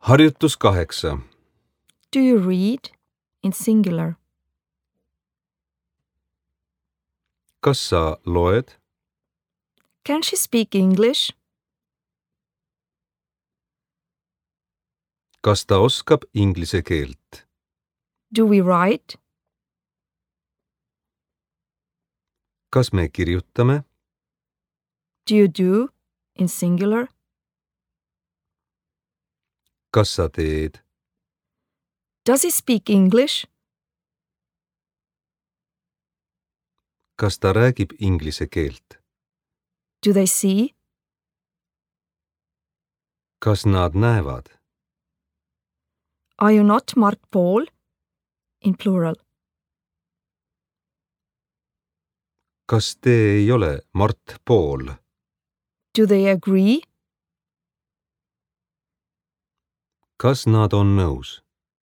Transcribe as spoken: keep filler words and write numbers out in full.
Harjutus kaheksa. Do you read in singular? Kas sa loed? Can she speak English? Kas ta oskab inglise keelt? Do we write? Kas me kirjutame? Do you do in singular? Kas sa teed? Does he speak English? Kas ta räägib inglise keelt? Do they see? Kas nad näevad? Are you not Mart Paul? In plural. Kas te ei ole Mart Paul? Do they agree? Kas nad on nõus?